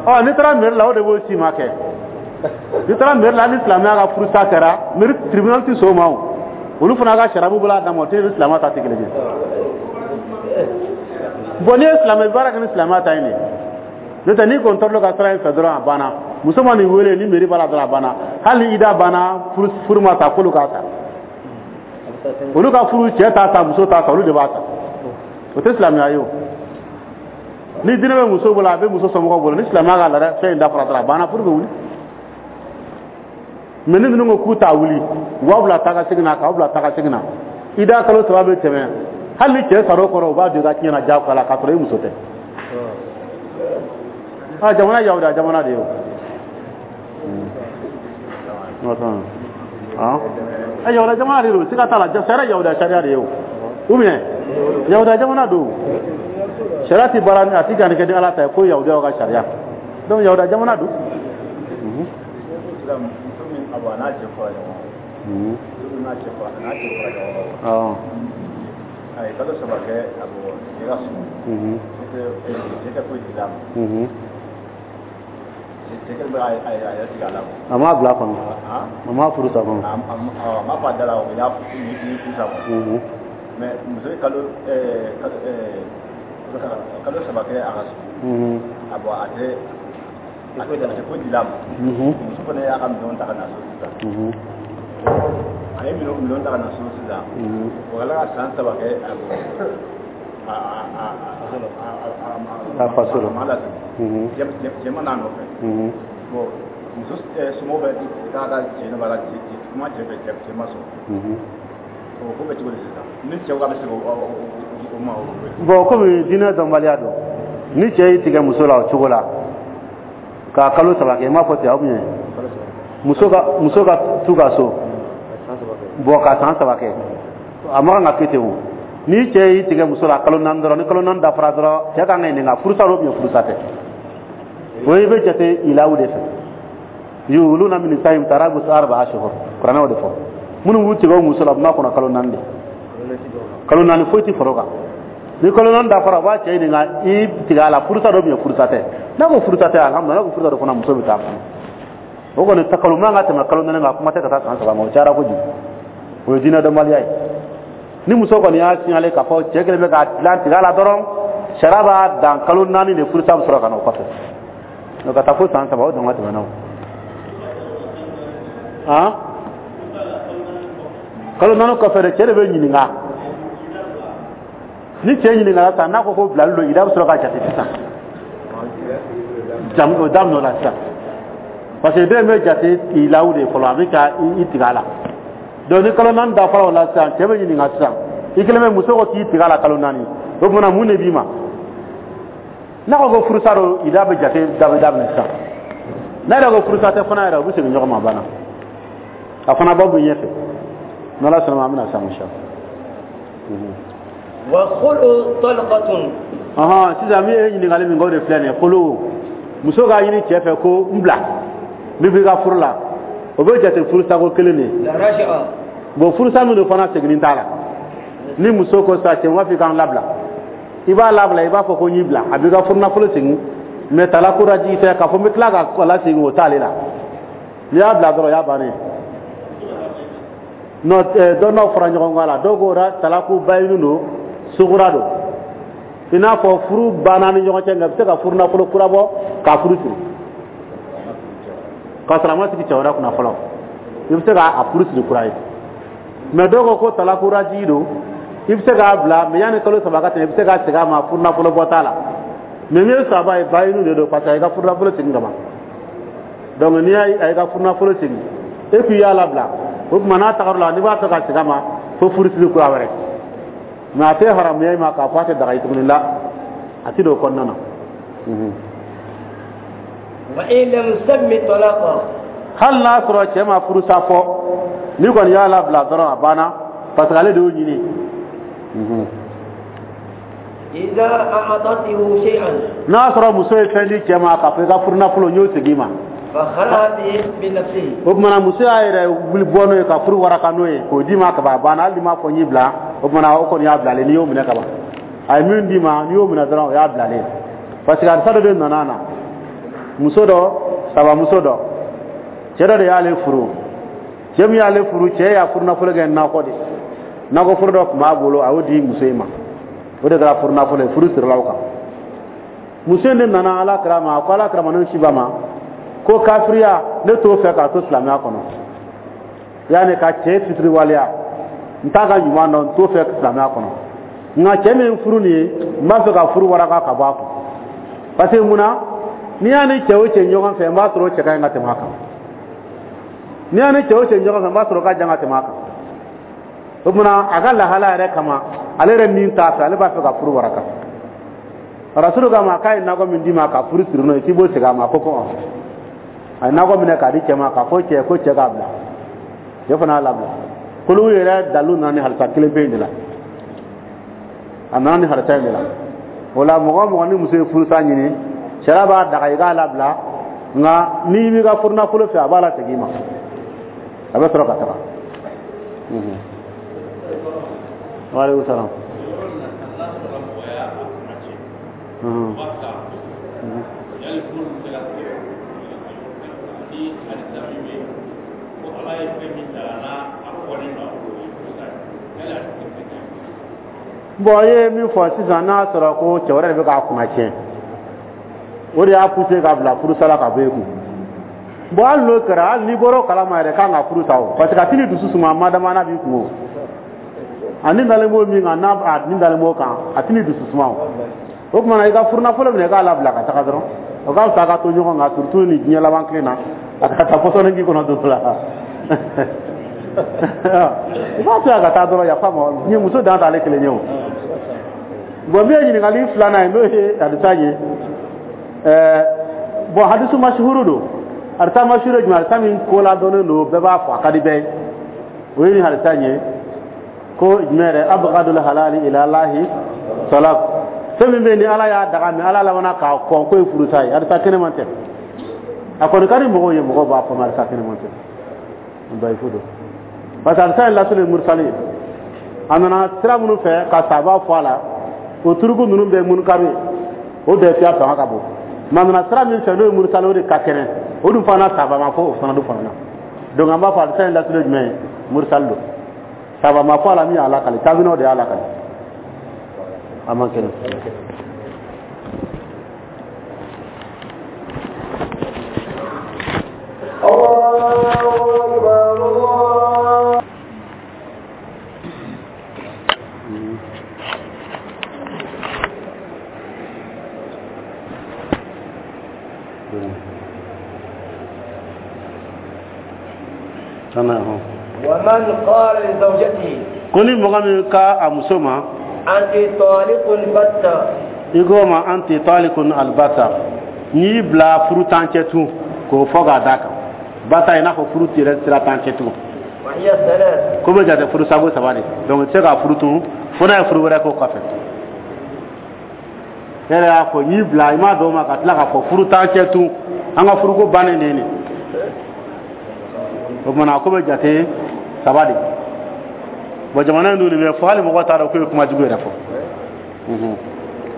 Ɔ, n'i taara mairie la, o de b'o si ma kɛ. N'i taara mairie la, ni silamɛya ka furusa kɛra, mairie tribunal tɛ sɔn o ma o. Olu fana ka sariya b'u bolo a dan ma, o tɛ ni silamɛ ta tɛ kelen ye. Bon, n'i ye silamɛ baara kɛ ni silamɛya ta ye nin ye. N'o tɛ n'i kɔni tɔrɔla ka sira in fɛ dɔrɔn, a banna. Muso ma nin wele ni mairie b'a la dɔrɔn, a banna. Hali ni ida banna, furu ma ta, k'olu k'a ta. Olu ka furu, cɛ t'a ta, muso t'a ta, olu de b'a ta. O tɛ silamɛya ye o. Ni diinɛ bɛ muso bolo, a bɛ muso somɔgɔw bolo, ni silamɛya ka laada fɛn in dafara dɔrɔn, a banna, furu bɛ wuli. Mais ni ninnu ko k'u t'a wuli, u b'aw bila taa ka segin na, k'aw bila taa ka segin na. Ida kalo 3 bɛ tɛmɛ, hali ni cɛ sar'o kɔrɔ, u b'a don i ka tiɲɛ na diyagoya la k'a sɔrɔ i muso tɛ. Ah, jamana yahudiya jamana de ye o. Ah, yahudiya jamana de don, siga t'a la, sariya yahudiya sariya de ye o. Ou bien yahudiya jamana don, sariya ti baara, a ti danni kɛ ni Ala ta ye, ko yahudiyaw ka sariya. Donc yahudiya jamana don. A ye kalo 3 kɛ a bɔ cɛ ka so, cɛ tɛ foyi di a ma. Cɛ kɛlen bɛ a yɛrɛ tigɛ a la. A m'a bila kɔnɔ, a m'a furu sa kɔnɔ. A m'a fɔ a da la, o y'a furu sa kɔnɔ. Mais muso ye kalo 3 kɛ a ka so, a bɔ a tɛ foyi di a ma. Muso fana y'a ka minɛnw ta ka na so sisan. A ye minɛnw ta ka na so sisan, o kɛla ka san 3 kɛ a bɔ a faso la. A ma lasegin, cɛ ma n'a nɔfɛ. Bon, muso somɔgɔw bɛ taa ka cɛ nɔfɛ, ka kuma cɛ fɛ, cɛ ma sɔn. O ko bɛ cogo di sisan? Ni cɛw ka bɛ segin o ma o. Bon, komi diinɛ dɔnbaliya don, ni cɛ y'i tigɛ muso la o cogo la k'a kalo 3 kɛ, i m'a fɔ ten, ou bien Muso ka t'u ka so bon ka san 3 kɛ, a ma kan ka kɛ ten. O ni cɛ y'i tigɛ muso la kalo 4 dɔrɔn, ni kalo 4 dafara dɔrɔn, cɛ kan ka ɲininka furusa don ou bien furusa tɛ. O i bɛ jate ilawu de fɛ, yuluna min nisa'ihim tarabbusu arba'a ashhur, kuranɛ o de fɔ. Minnu b'u tigɛ o muso la, u b'a kɔnɔ kalo 4 de, kalo 4 foyi tɛ fara o kan. Ni kalo 4 dafara, u b'a cɛ ɲininka i tigɛ a la furusa don ou bien furusa tɛ. N'a ko furusa tɛ, alhamdulilah. N'a ko furusa don fana, muso bɛ taa fana. O kɔni ta kalo man ka tɛmɛ kalo 4 kan, kuma tɛ ka taa san 3 ma, o cayara kojugu, o ye diinɛ dɔnbaliya ye. Ni muso kɔni y'a signaler k'a fɔ cɛ kelen bɛ k'a dilan tigɛ a la dɔrɔn, sariya b'a dan kalo 4 de, furusa bɛ sɔrɔ ka na o kɔfɛ. Donc ka taa fo san 3, o dama tɛmɛna o. Han, kalo 4 kɔfɛ de, cɛ de bɛ ɲininka. Ni cɛ ɲininkara sisan, n'a ko ko bilali don, ida bɛ sɔrɔ ka jate sisan, o daminɛ o la sisan, parce que den bɛ jate ilawu de fɔlɔ, a bɛ ka i tigɛ a la. Donc ni kalo 4 dafara o la sisan, cɛ bɛ ɲininka sisan, i kelen bɛ muso ko k'i tigɛ a la kalo 4, o tuma mun de b'i ma? N'a ko ko furusa don, ida bɛ jate daminɛ sisan. N'a yɛrɛ ko furusa tɛ fana yɛrɛ, u bɛ segin ɲɔgɔn ma, a banna. A fana b'aw bɛ ɲɛfɛ, n'Ala sɔnna ma, an bɛna sa inshallah. Wa khulu talqatun. Ɔhɔn, sisan min ye ɲininkali min kɛ, o de filɛ nin ye. Kolo, muso k'a ɲini cɛ fɛ ko n bila, n bɛ b'i ka furu la, o bɛ jate furusako kelen de ye. Bon, furusa min don fana, seginni t'a la. Ni muso ko sisan, cɛ n b'a fɔ i k'an labila, i b'a labila, i b'a fɔ ko n y'i bila, a b'i ka furunafolo segin, mais talako rajigi tɛ k'a fɔ n bɛ tila ka lasegin, o t'ale la. N'i y'a bila dɔrɔn, o y'a bannen ye. Non, dɔnnaw fara ɲɔgɔn kan la, dɔw ko talaku bayinu don, sugura don, i n'a fɔ furu banna ni ɲɔgɔn cɛ, nka i bɛ se ka furu nafolo kura bɔ k'a furu siri k'a sɔrɔ a ma sigi cɛ wɛrɛ kunna fɔlɔ, i bɛ se k'a furu siri kura ye. Mais dɔw ko ko talaku rajigi don, i bɛ se k'a bila, mais yanni kalo 3 ka tɛmɛ, i bɛ se k'a segin a ma, furu nafolo bɔ t'a la. Mais min ye saba ye, bayinu de don, parce que a y'i ka furu nafolo segin ka ban. Donc n'i y'a ye ka furu nafolo segin, e k'i y'a labila, o tuma n'a tagar'o la, n'i b'a fɛ ka segin a ma, fo furu siri kura wɛrɛ. Mais a tɛ haramuya i ma k'a fɔ a tɛ daga i tuguni la, a ti don o kɔnɔna na. Wa in lam yusammi talaqa. Hali n'a sɔrɔ cɛ ma furusa fɔ, n'i kɔni y'a labila dɔrɔn, a banna, parce que ale de y'o ɲini. Idha a'atatuhu shay'an. N'a sɔrɔ muso ye fɛn di cɛ ma k'a fɔ i ka furunafolo, n y'o segin i ma. O tuma na muso y'a yɛrɛ wuli bɔ n'o ye ka furu waraka n'o ye k'o d'i ma ka ban, a banna. Hali n'i m'a fɔ n y'i bila, o tuma na o kɔni y'a bilalen. N'i y'o minɛ ka ban, a ye min d'i ma, n'i y'o minɛ dɔrɔn, o y'a bilalen. Parce que hadisa dɔ de nana na, muso dɔ, sabamuso dɔ, cɛ dɔ de y'ale furu. Cɛ min y'ale furu, cɛ y'a furunafolo kɛ nakɔ de, nakɔ foro dɔ tun b'a bolo, a y'o di muso in ma, o de kɛra furunafolo ye, furu sirila o kan. Muso in de nana Ala kira ma, a ko Ala kira ma, ne si ba ma ko kafiriya ne t'o fɛ k'a to silamɛya kɔnɔ, yanni ka cɛ fitiriwaleya, n t'a ka ɲuman dɔn, n t'o fɛ silamɛya kɔnɔ, nka cɛ min furu nin ye, n b'a fɛ ka furu waraka ka bɔ a kun, parce que mun na, n'i y'a ni cɛ o cɛ ɲɔgɔn fɛ, n b'a sɔrɔ o cɛ ka ɲi ka tɛmɛ a kan, n'i y'a ni cɛ o cɛ ɲɔgɔn fɛ, n b'a sɔrɔ o ka jan ka tɛmɛ a kan. O tuma a ka lahala yɛrɛ kama, ale yɛrɛ min t'a fɛ, ale b'a fɛ ka furu waraka. Rasulu k'a ma k'a ye nakɔ min d'i ma ka furu siri n'o ye, k'i b'o segin a ma. Ko kɔn a ye nakɔ minɛ k'a di cɛ ma, k'a fɔ cɛ ko cɛ k'a bila, cɛ fana y'a labila. Kolo yɛrɛ dalu nana ni halisa kelen pe in de la, a nana ni halisa in de la. O la mɔgɔ o mɔgɔ ni muso ye furusa ɲini, sariya b'a daga i k'a labila, nka n'i b'i ka furunafolo fɛ, a b'a lasegin i ma, a bɛ sɔrɔ ka taga. Waaleykum salaam. Bon, i ye min fɔ sisan, n'a sɔrɔ ko cɛ wɛrɛ de bɛ k'a kunna tiɲɛ, o de y'a poussé k'a bila furusa la ka bɔ e kun. Bon, hali n'o kɛra, hali n'i bɔra o kalama yɛrɛ, kan ka furu sa o, parce que a tɛn'i dusu suma madama n'a b'i kun o. A ni dalen b'o min kan, n'a a ni dalen b'o kan, a tɛn'i dusu suma o. O tuma na i ka furunafolo minɛ i k'a labila ka taga dɔrɔn, o ka fisa a ka to ɲɔgɔn kan, surtout ni diɲɛ laban tile na, a ka taa pɔsɔni k'i kɔnɔ don la. I b'a to yen a ka taa dɔrɔn, yafa ma, diɲɛ muso dan t'ale kelen ye o. Bon, min ye ɲininkali filanan ye, n'o ye hadisa ye, bon, hadisu masuhuru don. Hadisa mashhur ye jumɛn? Hadisa min ko ladɔnnen don, bɛɛ b'a fɔ, a ka di bɛɛ ye. O ye nin hadisa in ye ko jumɛn yɛrɛ? Abghadul halali ila Allahi talaq. Fɛn min bɛ yen ni Ala y'a daga, mɛ Ala labanna k'a kɔn k'o ye furusa ye. Hadisa kɛnɛman tɛ, a kɔni ka di mɔgɔw ye, mɔgɔw b'a fɔ, mɛ hadisa kɛnɛman tɛ, dayifu don. Parce que hadisa in lasili ye mursali ye. A nana sira minnu fɛ ka sahaba fɔ a la, o turuku ninnu bɛɛ munkaru ye, o dɛfiya fanga ka bon. Mɛ a nana sira min fɛ n'o ye mursali, o de ka kɛnɛ, o dun fana sahaba ma fɔ o fana dun fana na. Donc an b'a fɔ hadisa in lasili ye jumɛn ye? Mursali don, sahaba ma fɔ a la min y'a lakali, taabinaw de y'a lakali, a man kɛnɛ. ومن قال لزوجته ko ni mɔgɔ min ka a muso ma أنت طالق بتة, i ko ma anti talikun albata, n'i y'i bila furu t'an cɛ tun, k'o fɔ k'a d'a kan, bata i n'a fɔ furu yɛrɛ sira t'an cɛ tun. وهي ثلاث. Ko bɛ jate furu sago saba de. Donc i tɛ se k'a furu tun fo n'a ye furu wɛrɛ k'o kɔfɛ. E yɛrɛ y'a fɔ n y'i bila, i m'a dɔn ma ka tila k'a fɔ furu t'an cɛ tun, an ka furuko bannen de ye nin. O kumana ko bɛ jate saba de. Bon, jamana in dun nin bɛ fɔ, hali mɔgɔ t'a dɔn k'o ye kuma jugu yɛrɛ fɔ.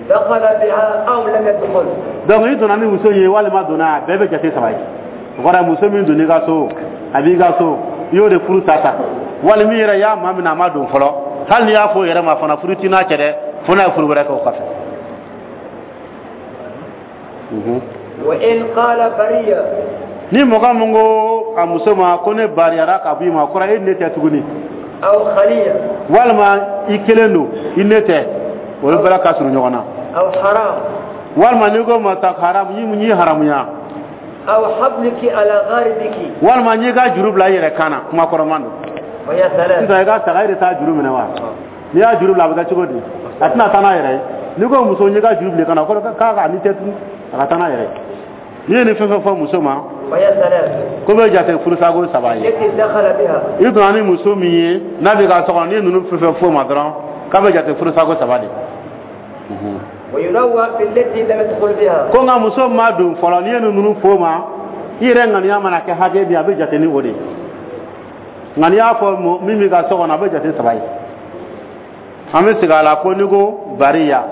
دخل بها أو لم يدخل. Donc i donna ni muso ye walima donna, a bɛɛ bɛ jate saba ye. O kɔrɔ ye muso min donna i ka so, a b'i ka so, i y'o de furu ta ta, wali min yɛrɛ y'a maa min a ma don fɔlɔ, hali n'i y'a fɔ o yɛrɛ ma fana, furu t'i n'a cɛ dɛ, fo n'a ye furu wɛrɛ kɛ o kɔfɛ. وإن قال برية. Ni mɔgɔ min ko a muso ma ko ne bariyara ka bɔ i ma, o kɔrɔ e ne tɛ tuguni. أو خلية. Walima i kelen don, i ne tɛ, olu bɛɛ ka surun ɲɔgɔn na. أو حرام. Walima n'i ko ma ta haram, n'i haramuya. أو حبلك على غاربك. Walima n'i ka juru bila i yɛrɛ kan na, kuma kɔrɔman don. وهي ثلاث. Sisan i ka saga, e de t'a juru minɛ wa? N'i y'a juru bila, a bɛ kɛ cogo di? A tɛna taa n'a yɛrɛ ye. N'i ko muso n'i ka juru bila i kan na, o kɔrɔ k'a ka n'i tɛ tun, a ka taa n'a yɛrɛ ye. N'i ye nin fɛn fɛn fɔ muso ma, وهي ثلاث. ko bɛ jate furusago saba ye. التي دخل بها. I donna ni muso min ye n'a bɛ ka so kɔnɔ, n'i ye ninnu fɛn fɛn fɔ o ma dɔrɔn, k'a bɛ jate furusago saba de. وينوع في التي لم يدخل بها. Ko nka muso ma don fɔlɔ, n'i ye ninnu fɔ o ma, i yɛrɛ ŋaniya mana kɛ hakɛ min, a bɛ jate ni o de ye. Nka n'i y'a fɔ min b'i ka so kɔnɔ, a bɛ jate saba ye. An bɛ segin a la ko n'i ko bariya,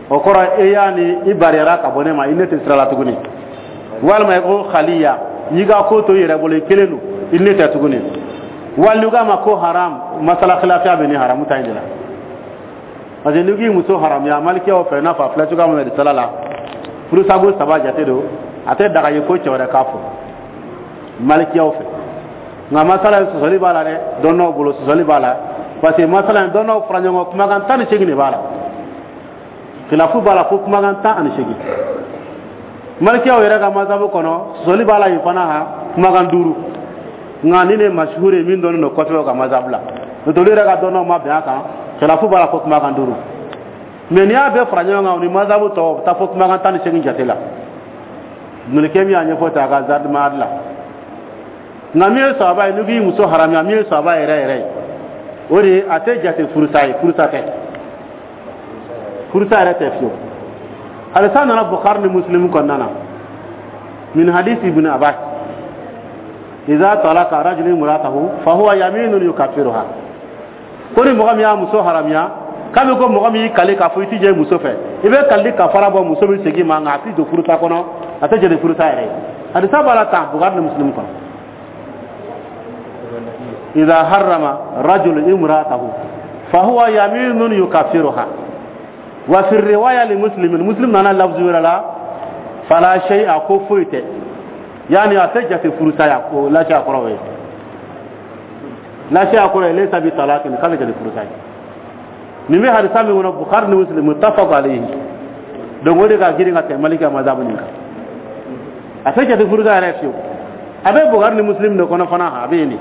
o kɔrɔ e y'a ni i bariyara ka bɔ ne ma, i ne tɛ sira la tuguni. Walima i ko khaliya, n'i ka ko to i yɛrɛ bolo, i kelen don, i ne tɛ tuguni. Wali n'i k'a ma ko haram, masala khilafiya bɛ ni haramu ta in de la. Parce que n'i k'i muso haramuya, malikiyaw fɛ, i n'a fɔ a filɛ cogoya min na risala la, furusago saba jate don, a tɛ daga ye fo cɛ wɛrɛ k'a fɔ malikiyaw fɛ. Nka masala in sɔsɔli b'a la dɛ, dɔnnaw bolo sɔsɔli b'a la, parce que masala in dɔnnaw fara ɲɔgɔn kan, kumakan 18 de b'a la, khilafu b'a la fo kumakan 18. Malikiyaw yɛrɛ ka masabu kɔnɔ sɔsɔli b'a la yen fana, ha kumakan 5. Nka ni ne masuhuri ye min dɔnnen don kosɛbɛ o ka masabu la, n'o tɛ olu yɛrɛ ka dɔnnaw ma bɛn a kan, khilafu b'a la fo kumakan 5. Mɛ n'i y'a bɛɛ fara ɲɔgɔn kan, o ni masabu tɔw, o bɛ taa fo kumakan 18 jate la. Nulikɛ min y'a ɲɛfɔ ten a ka zadumadi la. Nka min ye sahaba ye, n'i k'i muso haramuya, min ye sahaba yɛrɛ yɛrɛ ye, o de ye a tɛ jate furusa ye, furusa tɛ, furusa yɛrɛ tɛ fiyewu. Hadisa nana Bukhari ni Muslim kɔnɔna na, min hadisi Ibn Abbas, iza talaka rajulun imratahu fa huwa yaminun yukaffiruha. Ko ni mɔgɔ min y'a muso haramuya, k'a bɛ ko mɔgɔ min y'i kali k'a fɔ i ti jɛ muso fɛ, i bɛ kalili kafara bɔ, muso bɛ segin ma, nka a ti don furusa kɔnɔ, a tɛ jate furusa yɛrɛ ye. Hadisa b'a la tan Bukhari ni Muslim kɔnɔ. إذا حرم رجل امرأته فهو يمين يكفرها. وفي الرواية لمسلم، مسلم أنا لفظ ولا فلا شيء كفوت، يعني أتجت فرسا لا شيء قروي، لا شيء قروي ليس بطلاق، خرج الفرسا. نمي حديث من البخاري ومسلم متفق عليه. دونغوري كا غيري كا مالك مذهب نيكا أتجت فرسا رفيو أبي بخاري ومسلم نكون فنا أبيني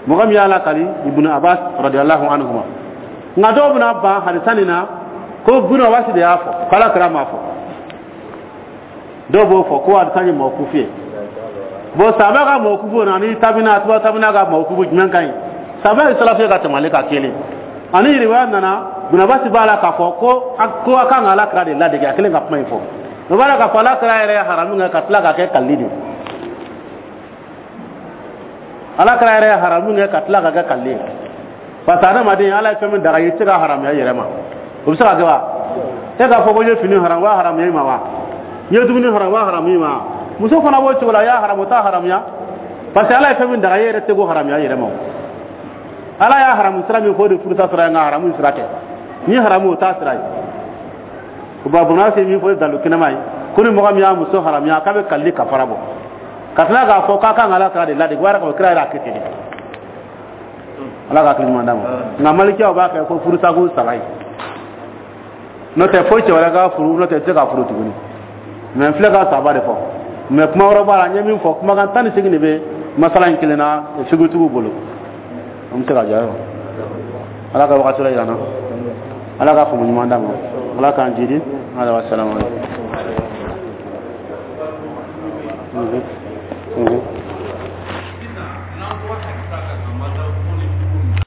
mɔgɔ min y'a lakali Ibn Abbas radiyallahu anhuma. Nka dɔw bɛna ban hadisa nin na ko Ibn Abbas de y'a fɔ, k'ala kira m'a fɔ. Dɔw b'o fɔ ko hadisa ye mawkufu ye. Bon, sahaba ka mawkufu na ani tabina, tuba tabina ka mawkufu, jumɛn ka ɲi? Sahaba ye salafi ka tɛmɛ ale ka kelen. Ani riwaya nana Bunabasi b'a la k'a fɔ ko a kan ka Ala kira de ladege. A kelen ka kuma in fɔ, o b'a la k'a fɔ Ala kira yɛrɛ ye haramu kɛ ka tila ka kɛ kalili de. Ala kira yɛrɛ ye haramu kɛ ka tila ka kɛ kalili ye, parce que adamaden, Ala ye fɛn min daga i tɛ se ka haramuya i yɛrɛ ma. O bɛ se ka kɛ wa? E k'a fɔ ko n ye fini haramu, wa haramuya i ma wa? N ye dumuni haramu, wa haramu i ma wa? Muso fana b'o cogo la, a y'a haramu, o t'a haramuya, parce que Ala ye fɛn min daga, e yɛrɛ tɛ k'o haramuya i yɛrɛ ma. O Ala y'a haramu sira min fɔ, o de furusa sira ye, nka haramu sira tɛ. Ni haramu, o t'a sira ye. O ba bɔnna se min fɔ, o ye dalu kɛnɛma ye ko ni mɔgɔ min y'a muso haramuya, k'a bɛ kalili kafara bɔ, ka tila k'a fɔ k'a kan ka Ala kira de ladege. O b'a yira k'a fɔ kira yɛrɛ y'a kɛ ten de. Ala ka hakili ɲuman d'a ma. Nka malikiyaw b'a kɛ ko furusako saba ye, n'o tɛ fo cɛ wɛrɛ ka furu, n'o tɛ i tɛ se ka furu tuguni. Mɛ n filɛ ka saba de fɔ, mɛ kuma wɛrɛ b'a la. N ye min fɔ, kumakan 18 de bɛ masala in kelen na figutigiw bolo. An bɛ se ka jɔ. Ayiwa, Ala ka wagati la yira n na. Ala ka faamu ɲuman d'a ma. Ala k'an jidi. Ala wa salamu aleykum.